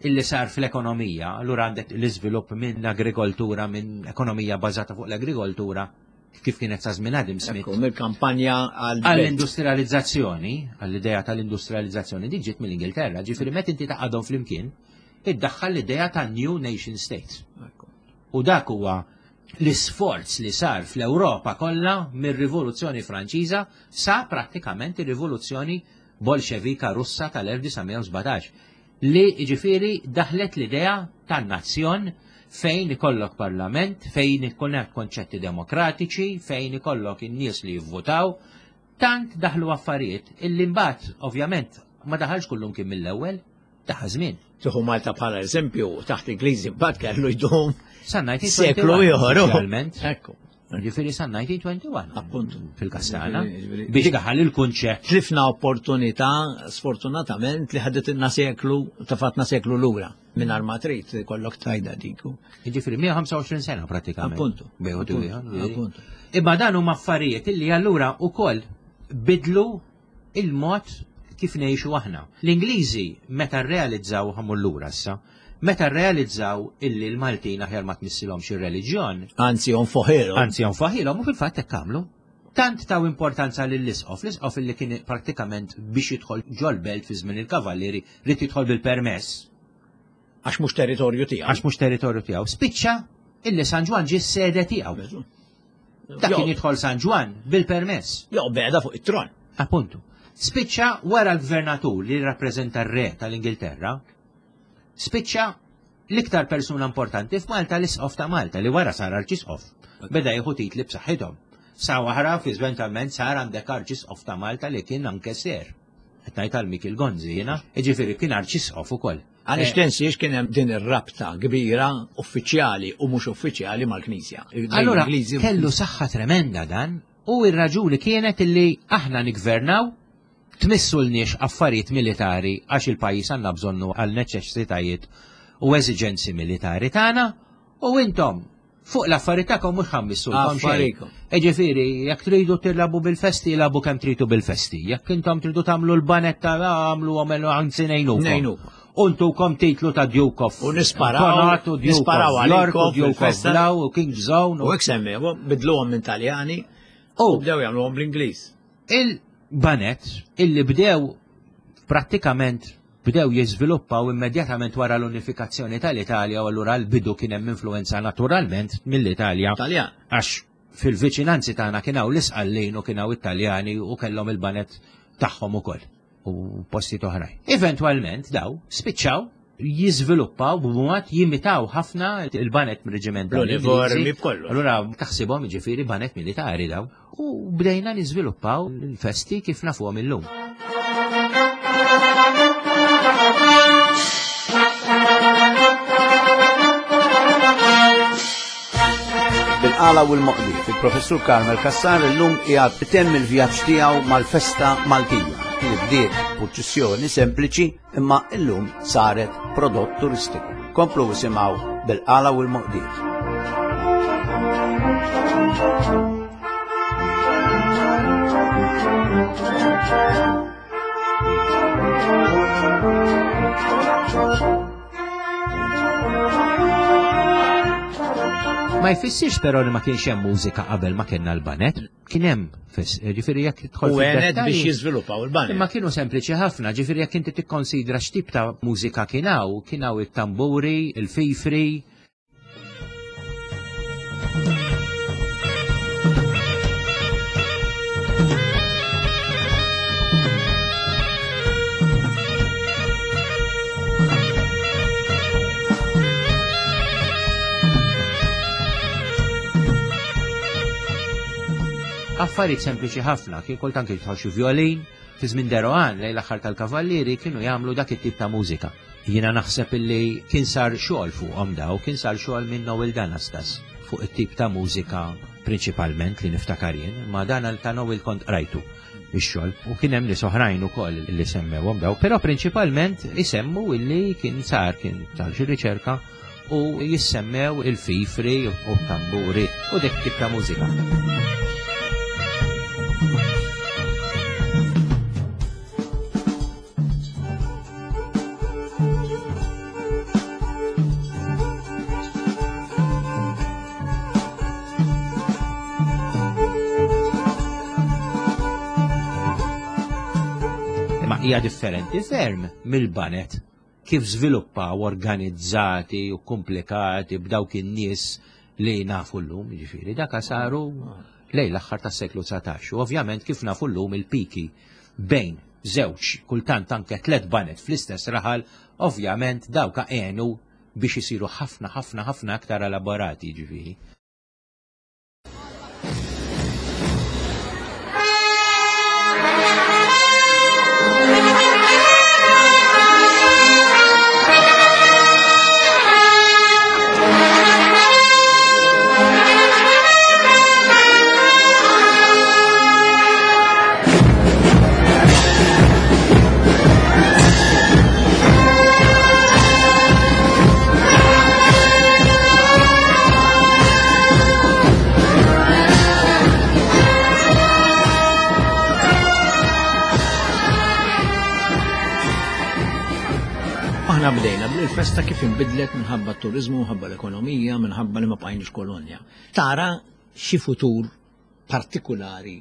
illi sar fl-ekonomija, allura għandek l-iżvilupp minn agrikoltura, minn ekonomija bażata fuq l-agrikoltura, kif kienet sa żmien Adam Smith. Ekku, mill-kampanja għal Għall-industrializzazzjoni, għall-idea tal-industrializzazzjoni, din ġiet mill-Ingilterra, ġifieri meta inti taqadhom flimkien, iddaħħal l-idea ta' New Nation State. U dak huwa l-isforz li sar fl-Ewropa kollha mir-Rivoluzzjoni Franċiża sa prattikament ir-Rivoluzzjoni Bolxevika Russa tal-elf disa' mija u sbatax li ġifieri daħlet l-idea tan-nazzjon fejn ikollok parlament, fejn ikun hemm konċetti demokratiċi, fejn ikollok in-nies li jivvotaw, tant daħlu affarijiet illi mbagħad ovvjament ma daħalx kullum kien mill-ewwel, daħal żmien. Tieħu Malta bħala eżempju taħt Ingliżi mbagħad kellu jdum Sa seklu ieħor. uffiċjalment. Ekku. Ġifieri sa elf disa' mija u wieħed u għoxrin. Appuntu. Fil-Kastana. Ġifieri- Biex daħal il-kunċett. Tlifna opportunità, sfortunatament, li ħadet seklu, tafatna seklu lura. Minn ma trid kollok tajda diku. Ġifieri mija u ħamsa u għoxrin sena pratikament. Appuntu. Bejn u Appuntu, ieħor. appuntu. Imma dan huma affarijiet illi allura ukoll bidlu il-mod kif ngħixu aħna. L-Ingliżi meta rrealizzaw, ħa mmur lura issa, meta rrealizzaw illi l-Maltin aħjar ma tmissilhomx ir-reliġjon, Anzi, onfoħilu. anzi jonfaħilhom, u fil-fatt hekk għamlu. Tant taw importanza lill-isqof, l-isqof illi kien prattikament biex jidħol ġol-belt fi żmien il-kavallieri rid jidħol bil-permess Għax mhux territorju tiegħu. għax mhux territorju tiegħu. Spiċċa illi San Ġwann ġie s-sede tiegħu. Dak kien jidħol San Ġwann bil-permess. Jo, beda fuq it-tron. Appuntu. Spiċċa wara l-gvernatur li rappreżenta r-re tal-Ingilterra, spiċċa l-iktar persuna importanti f'Malta, l-isqof ta' Malta, li wara sar arċisqof. Beda jieħu titli b'saħħithom. Sa wara fi eventualment sar għandek arċisqof ta' Malta li kien anke ser. Qed ngħid għal Mikil Gonzi jiena, jiġifieri kien arċisqof ukoll. Għaliex Eh, tinsiex kien hemm din ir-rabta kbira uffiċjali u mhux uffiċjali mal-Knisja. Allora, L-Ingliżi- kellu saħħa tremenda dan, u ir-raġuni kienet illi aħna nigvernaw, tmissulniex affarijiet militari għax il-pajjiż għandna bżonnu għal neċessitajiet u eżiġenzi militari tagħna, u intom fuq l-affarijiet tagħkom mhux ħa mmissulkom xejn. Affarikom. Ġifieri, jekk tridu tilagħbu bil-festi, ilagħbu kemm tridu bil-festi. Jekk intom tridu tagħmlu l-banetta, għamlu għamlu, anzi ngħinukom. Ngħinukom. U ntukom titlu ta' Duke of U nisparaw- Connaught, u Duke nisparaw of York, u għalikom Duke of fil-festa. Blau, u King's Zone. U hekk semmew, bidluhom minn Taljani U u bdew jagħmluhom bl-Ingliż. Il-banet illi bdew prattikament bdew jiżviluppaw immedjatament wara l-unifikazzjoni tal-Italja, u allura l-bidu kien hemm influenza naturalment mill-Italja Taljan. għax fil-viċinanzi tagħna kien hawn l-Isqallin u kien hawn Italjani u kellhom il-banet tagħhom ukoll u postijiet oħrajn. Eventwalment daw spiċċaw jiżviluppaw b'mod jimitaw ħafna il-banet mir-reġiment L-uniformi b'kollox. Allura taħsibhom jiġifieri banet militari daw. U bdejna niżviluppaw l-festi kif nafuhom illum. Bil-qala u l-moqdi, il-professur Carmel Cassar illum qiegħed itemm il-vjaġġ tiegħu mal-festa Maltija li bdiet purċissjoni sempliċi imma illum saret prodott turistiku. Komplu isimgħu Bil-qala u l-moqdiet. Ma jfissirx però li ma kienx hemm mużika qabel ma kellna l-banet. Kien hemm, fis- ġifieri jekk tidħol U għenet fid-dettalji- biex jiżviluppaw il-banet. Imma kienu sempliċi ħafna, ġifieri jekk inti tikkonsidra x'tip ta' mużika kien hawn, kien hawn it-tamburi, il-fifri. Affarijiet sempliċi ħafna, kien kultant kien jidħol xi violin, fi żmien de Rohan lejn l-aħħar tal-Kavallieri kienu jagħmlu dak it-tip ta' mużika. Jiena naħseb illi kien sar xogħol fuqhom daw, kien sar xogħol minn Noel Danastas fuq it-tip ta' mużika prinċipalment li niftakar jien, ma dan ta' Noel kont qrajtu ix-xogħol u kien hemm nies oħrajn ukoll li semmewhom daw, però prinċipalment isemmu illi kien sar kien sar xi riċerka u jissemmew il-fifri u tamburi u dik tip ta' mużika. Imma hija differenti ferm mill-banet kif żviluppaw organizzati u komplikati b'dawk in-nies li nafu llum, jiġifieri daka saru lejn l-aħħar tas-seklu dsatax. U ovvjament kif nafu llum il-piki bejn żewġ, kultant anke tliet banet fl-istess raħal, ovvjament dawka għenu biex isiru ħafna ħafna ħafna aktar elaborati ġifieri. Aħna bdejna bil-festa kif inbidlet minħabba t-turizmu, minħabba l-ekonomija, minħabba li ma bqajniex kolonja. Tara xi futur partikulari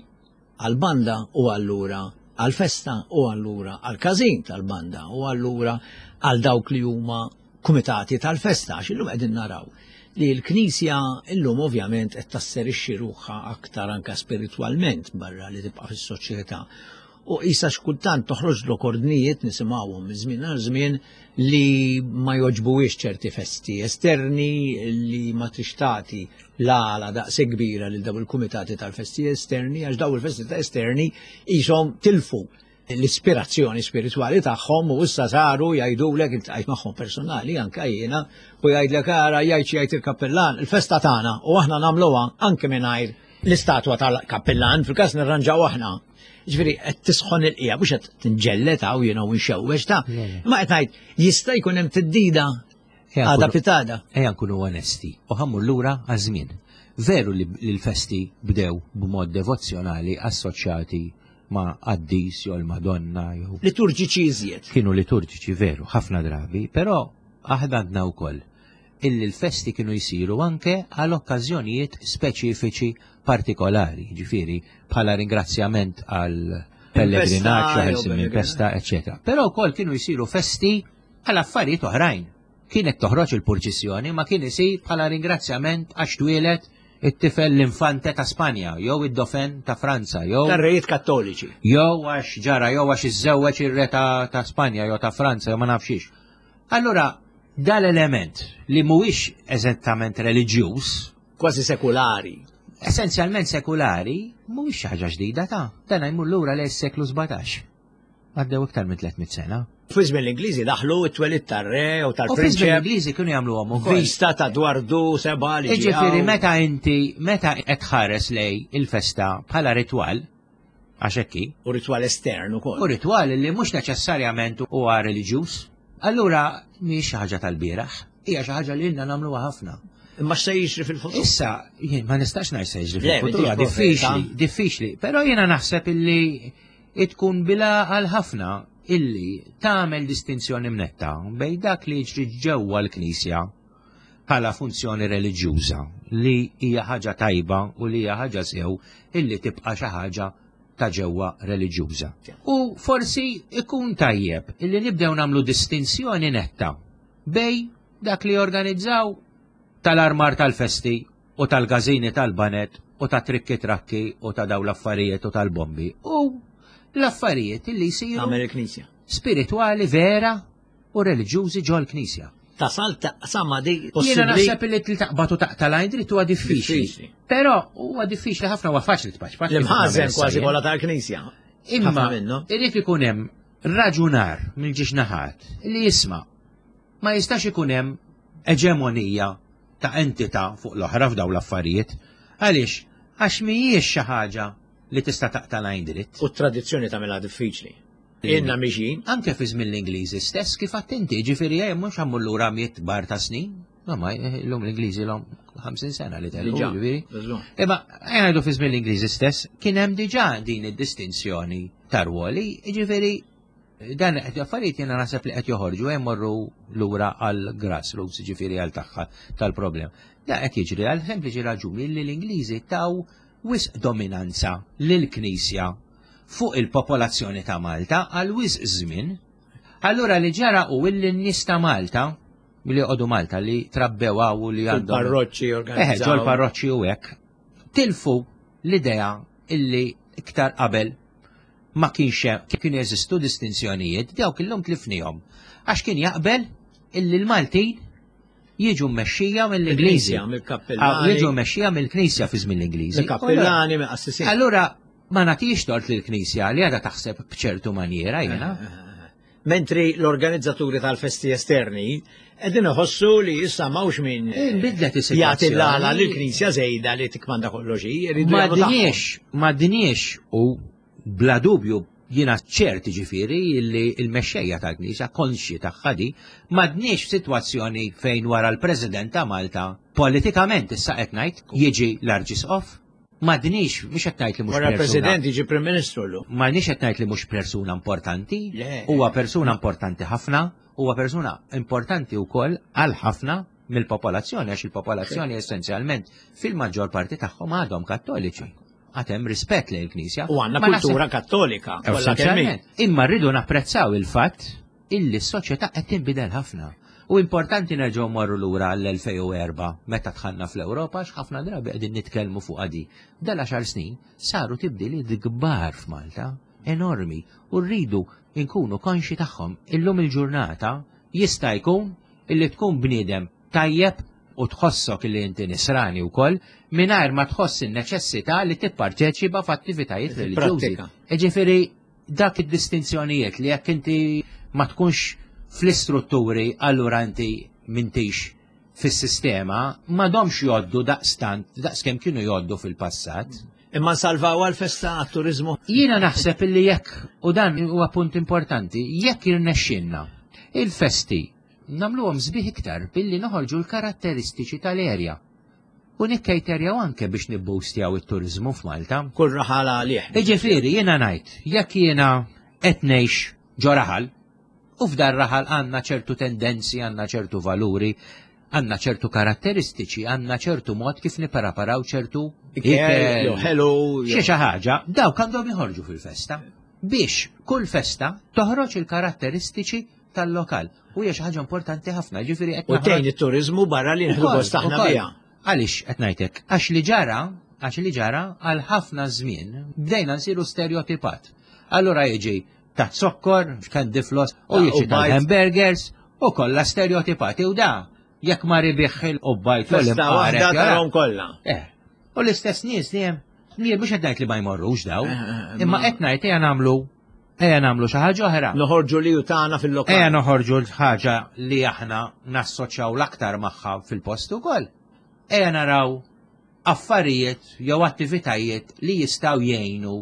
għal-banda u allura għal-festa u allura għal-każin tal-banda u allura għal dawk li huma kumitati tal-festa, għax illum qegħdin naraw li l-Knisja illum ovvjament qed tasserixxi ruħha aktar anka spiritwalment barra li tibqa' fis-soċjetà. U issa xkultant toħroġ lok ordnijiet nisimgħuhom minn żmien għal żmien li ma joġbuwiex ċerti festi esterni li ma tixtati l-għala daqse kbira lil daw il-kumitati tal-festi esterni, għax daw il-festi ta' esterni qishom tilfu l-ispirazzjoni spiritwali tagħhom u issa saru jgħidulek, iltqajt magħhom personali anke jiena, u jgħidlek ara jgħid xi jgħid il-kappellan, il-festa tagħna u aħna nagħmluha anke mingħajr l-istatwa tal-kappellan, fil-każ nirranġaw aħna. Ġifieri qed tisħon il-qija, mhux qed tinġellet hawn jiena u nxewwex ta'. Ma qed ngħid jista' jkun hemm tiddida għada pitada. Ejja nkunu onesti u ħammur lura għaż-żmien. Veru li l-festi bdew b'mod devozzjonali assoċjati ma' qaddis jew l-Madonna jew liturġiċi iżjed. Kienu liturġiċi veru, ħafna drabi, però aħna għandna wkoll illi l-festi kienu jsiru anke għal okkażjonijiet speċifiċi partikolari, ġifieri bħala ringrazzjament għal pellegrinaġġ, għal minn festa, eċċetera. Però wkoll kienu jsiru festi għal affarijiet oħrajn. Kienet toħroġ il-purċissjoni, ma kien isir bħala ringrazzjament għax twielet it-tifel l-infante ta' Spanja, jew id-dofen ta' Franza, jew tar-rejiet kattoliċi. Jew għax ġara, jew għax iżżewweġ ir-re ta' Spanja jew ta' Franza, jew ma nafxiex. Allura dal-element li mhuwiex eżattament reliġjuż, kważi sekulari, essenzjalment sekulari, mhuwiex xi ħaġa ġdida ta' dan jmur lura lejn is-seklu sbatax. Għaddew iktar minn tliet mitt sena. Fi żmien l-Ingliżi daħlu t-twelid tar-re u tal-prinċep. U fi żmien l-Ingliżi kienu jagħmluhom ukoll. Vista ta' Dwardu seba' li Jiġifieri meta inti meta qed tħares lej il-festa bħala ritwal, għax hekk hi. U ritwal estern ukoll. U ritwal li mhux neċessarjament huwa reliġjuż. Allura mhix xi ħaġa tal-bieraħ, hija xi ħaġa li ilna nagħmluha ħafna. Imma x'se jiġri fil-futur? Issa, jien ma nistax ngħid se jiġri fil-futur, huwa diffiċli, diffiċli, però jiena naħseb illi tkun bila għal ħafna illi tagħmel distinzjoni mnetta bejn dak li jiġri ġewwa l-Knisja bħala funzjoni reliġjuża li hija ħaġa tajba u li hija ħaġa sew illi tibqa' xi ħaġa ta' ġewwa reliġjuża. U forsi ikun tajjeb illi nibdew nagħmlu distinzjoni netta bej dak li jorganizzaw tal-armar tal-festi u tal-gażini tal-banet u ta' trikki trakki u ta' daw l-affarijiet u tal-bombi u l-affarijiet illi jsiru Tagħmel il-Knisja. Spiritwali vera u reliġjużi ġol knisja. Tasal taqsama di Jiena possibbli. naħseb li taqbad u taqta' lajn dritt huwa diffiċli. Diffiċli. Però huwa diffiċli ħafna, huwa faċli tpaċ. L-imħażen kważi kollha tal-Knisja. Imma Ħafna minnu. irid ikun hemm raġunar mill-ġiex naħat li jisma' ma jistax ikun hemm eġemonija ta' entità fuq l-oħra f'daw l-affarijiet. Għaliex? Għax mhijiex xi ħaġa li tista' taqta' lajn dritt. U t-tradizzjoni tagħmilha diffiċli. Inna miġin. Anke fi żmien l-Ingliżi stess kif attenti, ġifieri hemm mhux ħammur lura miet kbar ta' snin. No, ma llum l-Ingliżi l-hom ħamsin sena li telqu, Diġà, ġifieri. żgur. Imma ngħidu fi żmien l-Ingliżi stess kien hemm diġà din id-distinzjoni ta' rwoli, ġifieri dan qed affarijiet jiena naħseb li qed joħorġu hemm morru lura għal grassroots, ġifieri għal tagħha tal-problem. Da qed jiġri għal sempliċi raġuni li l-Ingliżi taw wisq dominanza lill-Knisja fuq il-popolazzjoni ta' Malta għal wisq żmien. Allura li ġara u illi n-nies ta' Malta, li joqogħdu Malta, li trabbew hawn u li għandhom Fil-parroċċi Eħe, organizzaw. ġol parroċċi u hekk, tilfu l-idea illi iktar qabel ma kienx hemm, kienu jeżistu distinzjonijiet, dawk illum tlifnihom. Għax kien jaqbel illi l-Maltin Jiġu mmexxija mill-Ingliżi. Il-Knisja, mill-kappellani. Jiġu mmexxija mill-Knisja fi żmien l-Ingliżi. Mill-kappellani, mill-qassisin. Allura ma nagħtix tort lill-Knisja li għadha taħseb b'ċertu maniera jiena. Mentri l-organizzaturi tal-festi esterni qegħdin iħossu li issa m'hawnx min Inbidlet is-sitwazzjoni. jagħti l-għala lill-Knisja żejda li tikmanda kollox hi, jridu Ma jagħmlu tagħhom. dniex, ma dniex u bla dubju jiena ċert ġifieri li l-mexxejja tal-Knisja konxji tagħha di, ma dniex f'sitwazzjoni fejn wara l-President ta' Malta politikament issa qed ngħid jiġi l-Arċisqof. Ma dniex, mhux qed ngħid li mhux Wara persuna. l-President jiġi Prim Ministru llum. Ma nix qed ngħid li mhux persuna importanti, Le. huwa persuna importanti ħafna, huwa persuna importanti wkoll għal ħafna mill-popolazzjoni għax il-popolazzjoni essenzjalment fil-maġġor parti tagħhom għadhom kattoliċi. Għad hemm rispett lejn il-Knisja. U għandna Ma naħseb- kultura kattolika. kollha kemm hi. Essenzjalment. Imma rridu napprezzaw il-fatt illi s-soċjetà qed tinbidel ħafna. U importanti nerġgħu morru lura għall-elfejn u erba' meta dħalna fl-Ewropa għax ħafna drabi qegħdin nitkellmu fuq għadi. Dal għaxar snin saru tibdiliet kbar f'Malta, enormi, u rridu nkunu konxi tagħhom. Illum il-ġurnata jista' jkun illi tkun bniedem tajjeb u tħossok illi inti nisrani wkoll mingħajr ma tħoss in-neċessità li tipparteċipa f'attivitajiet reliġjużi. Prattika. Ġifieri dak id-distinzjonijiet li jekk inti ma tkunx fl-istrutturi allura inti m'intix fis-sistema m'għadhomx jgħoddu daqstant daqskemm kienu jgħoddu fil-passat. Imma nsalvaw għal-festa għat-turizmu. Jiena naħseb illi jekk, u dan huwa punt importanti, jekk irnexxinna il-festi nagħmluhom sbieħ iktar billi noħorġu l-karatteristiċi tal-erja. U nikkejterjaw anke biex nibboostjaw it-turizmu f'Malta. Kull raħal għalih. Iġifieri jiena ngħid, jekk jiena qed ngħix ġo raħal, u f'dar raħal għandna ċertu tendenzi, għandna ċertu valuri, għandna ċertu karatteristiċi, għandna ċertu mod kif nippreparaw ċertu Ikel, jew ħelu, xi xi ħaġa, dawk għandhom joħorġu fil-festa biex kull festa toħroġ il-karatteristiċi tal-lokal. U hija xi ħaġa importanti ħafna, ġifieri qed U tgħin it-turizmu barra li nħdu gost aħna biha. Għaliex qed ngħidlek? Għax li ġara, għax li ġara għal ħafna żmien bdejna nsiru stereotipat. Allura jiġi ta' zokkor, candy floss, u Ah, jiġi u bajt. tal-hamburgers, u kollha stereotipati u da. Jekk ma ribieħ il-qobbajt u Festa l-imqaret, waħda jara. tarahom kollha. Eh, u l-istess nies dejjem, jien mhux qed ngħid li ma jmorrux daw, Eh, eh, imma ma- qed ngħid ejja nagħmlu ejja nagħmlu xi ħaġa oħra. Noħorġu li u tagħna fil-lokal. Ejja noħorġu l-ħaġa li aħna nassoċjaw l-aktar magħha fil-post ukoll. Ejja naraw affarijiet jew attivitajiet li jistgħu jgħinu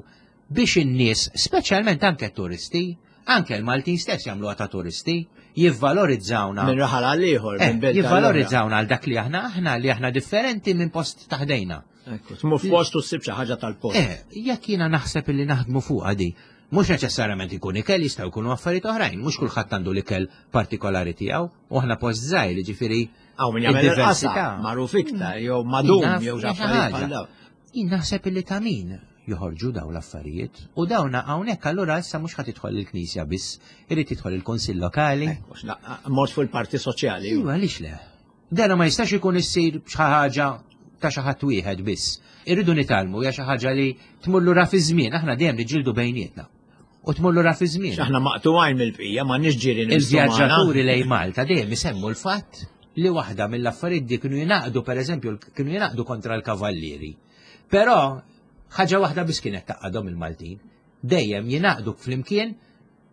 biex in-nies, speċjalment anke turisti, anke l-Maltin stess jagħmluha ta' turisti, jivvalorizzawna. Minn raħal għal ieħor, Eh, minn belt għal oħra. jivvalorizzawna għal dak li aħna aħna li aħna differenti minn post taħdejna. Ekku, tmur f'post u ssib xi ħaġa tal-post. Eh, jekk jiena naħseb illi naħdmu fuqha di, mhux neċessarjament ikun ikel, jistgħu jkunu affarijiet oħrajn, mhux kulħadd għandu l-ikel partikolari tiegħu, u aħna post żgħir, ġifieri Hawn min jagħmel il-qasa, id-diversità. magħruf iktar, jew madum, Jien jew naf xi affarijiet ħaġa. bħal dawn. Jien naħseb illi ta' min joħorġu daw l-affarijiet u dawna hawnhekk allura issa mhux ħadd tidħol il-Knisja biss, irid tidħol il-Kunsill Lokali. Ekku, x'na- Mort fuq il-parti soċjali. Iva, għaliex le? Dena ma jistax ikun issir xi ħaġa ta' xi ħadd wieħed biss. Irridu nitgħallmu hija xi ħaġa li tmur lura fi żmien, aħna dejjem niġġieldu bejnietna. U tmur lura fi żmien. Aħna maqtuwajn mill-bqija, ma nix ġirin Il-vjaġġaturi lejn Malta dejjem isemmu l-fatt li waħda mill-affarijiet di kienu jingħaqdu pereżempju kienu jingħaqdu kontra l-kavallieri. Però ħaġa waħda biss kienet taqgħadhom il-Maltin. Dejjem jingħaqdu flimkien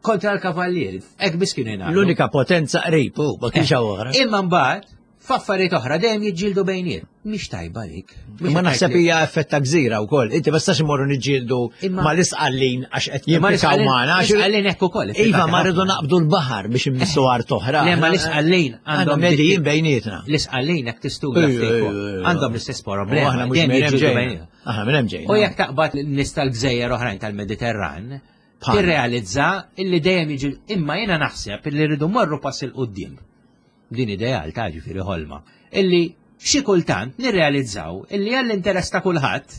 kontra l-kavallieri. Hekk biss kienu jingħaqdu. L-unika potenza qrib, u ma kienx hawn oħra. Imma mbagħad f'affarijiet oħra dejjem jiġġieldu bejniet. Mhix tajba dik. Mhux Ma qed naħseb ngħid li- hija effett ta' gżira wkoll. Inti ma tistax imorru niġġieldu Imma- mal-isqallin għax qed Imma jimpikaw l-isqallin- magħna. għax- l-isqallin hekk ukoll, Iva, ippikati ma rridu ħafna. naqbdu l-baħar biex immissu art oħra. Le, ma l-isqallin għandhom għandhom medijin bejnietna. L-isqallin hekk tistudja Ejja, ftit ejja, fuq. ejja. Għandhom l-istess U problema. aħna mhux dejjem minn hemm jiġġieldu ġejna. bejnietna. Aħna minn hemm ġejna. U jekk taqbad n-nies tal-gżejjer oħrajn tal-Mediterran, Bħalna. tirrealizza illi dejjem jiġi imma jiena naħseb illi rridu morru pass il quddiem. Din ideal ta' ġifieri ħolma. Illi xi kultant nirrealizzaw illi għall-interess ta' kulħadd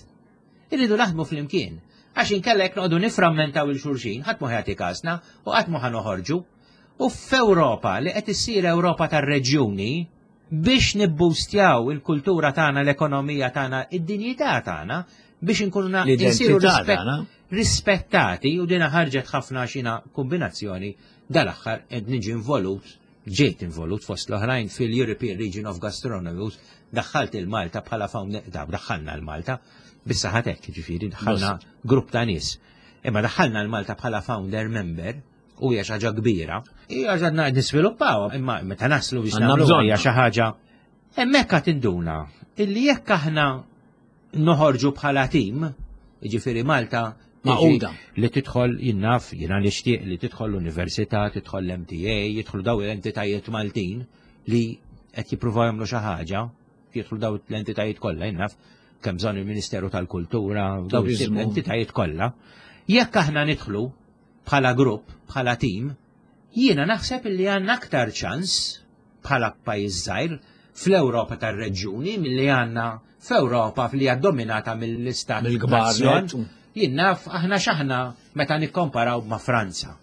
irridu naħdmu flimkien. Għax inkella jekk noqogħdu niframmentaw il-xulxin, ħadd ma jagħti każna u qatt ma ħanoħorġu. U f'Ewropa li qed issir Ewropa tar-reġjuni biex nibbustjaw il-kultura tagħna, l-ekonomija tagħna, id-dinjità tagħna biex inkunu na- L-identità insiru rispett- tagħna. rispettati u dina ħarġet ħafna xina kombinazzjoni dal-aħħar qed niġi involut Ġejt involut fost l-oħrajn fil-European Region of Gastronomy, u daħħalt il-Malta bħala founder, daħħalna l-Malta, bissa ħatek, ġifieri, daħħalna grupp ta' nies. Imma daħħalna l-Malta bħala founder member, u hija xi ħaġa kbira. Hija ġadna nisviluppaw, imma meta naslu biex nagħmlu hija xi ħaġa. Hemmhekk qed induna illi jekk aħna noħorġu bħala tim, jiġifieri Malta Maquda. Li tidħol jinnaf, jiena nixtieq li tidħol l-università, tidħol l-M T A, jidħlu daw l-entitajiet Maltin li qed jippruvaw jagħmlu xi ħaġa, jidħlu daw l-entitajiet kollha, jinnaf, kemm bżonn il-Ministeru tal-Kultura, daw Turizmu. l-entitajiet kollha. Jekk aħna nidħlu bħala grupp, bħala tim, jiena naħseb li għandna aktar ċans bħala pajjiż żgħir fl-Ewropa tar-reġjuni milli għandna f'Ewropa li hija dominata mill-istat Mill-kbar nazzjon. net. Jien naf aħna x'aħna meta nikkomparaw ma' Franza,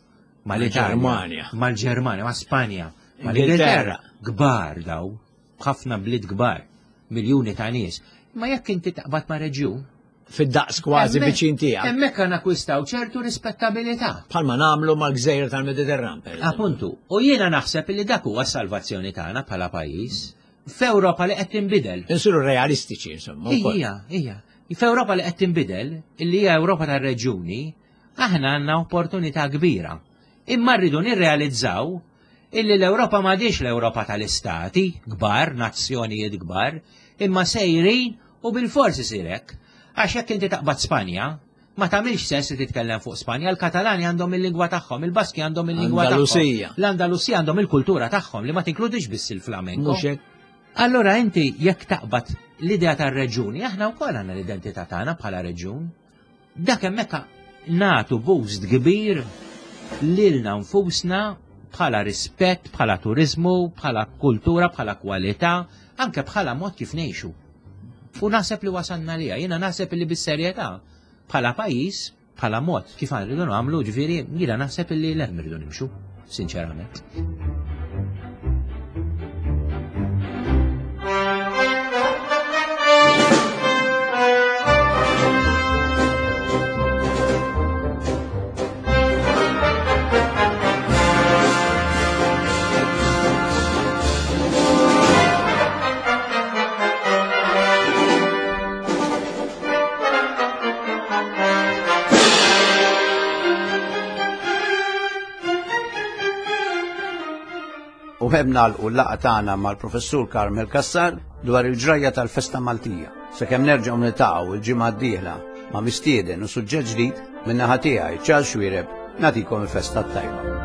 ma' l-Italja, Mal-Ġermanja. mal-Ġermanja, ma' Spanja, ma' Ingilterra. l-Ingilterra. Kbar daw, b'ħafna bliet kbar, miljuni ta' nies. Ma jekk inti taqbad ma' reġjun, fid-daqs kważi Hemmhekk- viċin tiegħek. Hemmhekk għandna akkwistaw ċertu rispettabilità. Bħalma nagħmlu mal-gżejjer tal-Mediterran, per eżempju. Appuntu, u jiena naħseb li dak huwa s-salvazzjoni tagħna bħala pajjiż f'Ewropa li qed tinbidel. Insiru realistiċi, insomma, wkoll. Ija, ija. F'Ewropa li qed tinbidel, illi hija Ewropa tar-reġjuni, aħna għandna opportunità kbira. Imma rridu nirrealizzaw illi l-Ewropa m'għadix l-Ewropa tal-istati, kbar, nazzjonijiet kbar, imma sejrin u bil-forsi sirek. Għax jekk inti taqbad Spanja, ma tagħmilx sens li titkellem fuq Spanja, l-Katalani għandhom il-lingwa tagħhom, il-Baski għandhom il-lingwa tagħhom. Andalusija. L-Andalusija għandhom il-kultura tagħhom li ma tinkludix biss il-flamenko. Mhux hekk. Allora inti jekk taqbad l-idea tar-reġuni, aħna wkoll għandna l-identità tagħna bħala reġun. Dak hemmhekk nagħtu boost kbir lilna nfusna bħala rispett, bħala turizmu, bħala kultura, bħala kwalità, anke bħala mod kif ngħixu. U naħseb li wasanna liha, jiena naħseb li bis-serjetà bħala pajjiż, bħala mod kif rridu nagħmlu, ġifieri jiena naħseb li l-hemm irridu nimxu, sinċerament. U hemm nagħlqu l-laqgħa tagħna mal-Professur Carmel Cassar dwar il-ġrajja tal-Festa Maltija. Sakemm nerġgħu niltaqgħu l-ġimgħa d-dieħla ma' mistieden u suġġett ġdid min-naħa tiegħi Charles Xuereb nagħtikom il-festa t-tajba.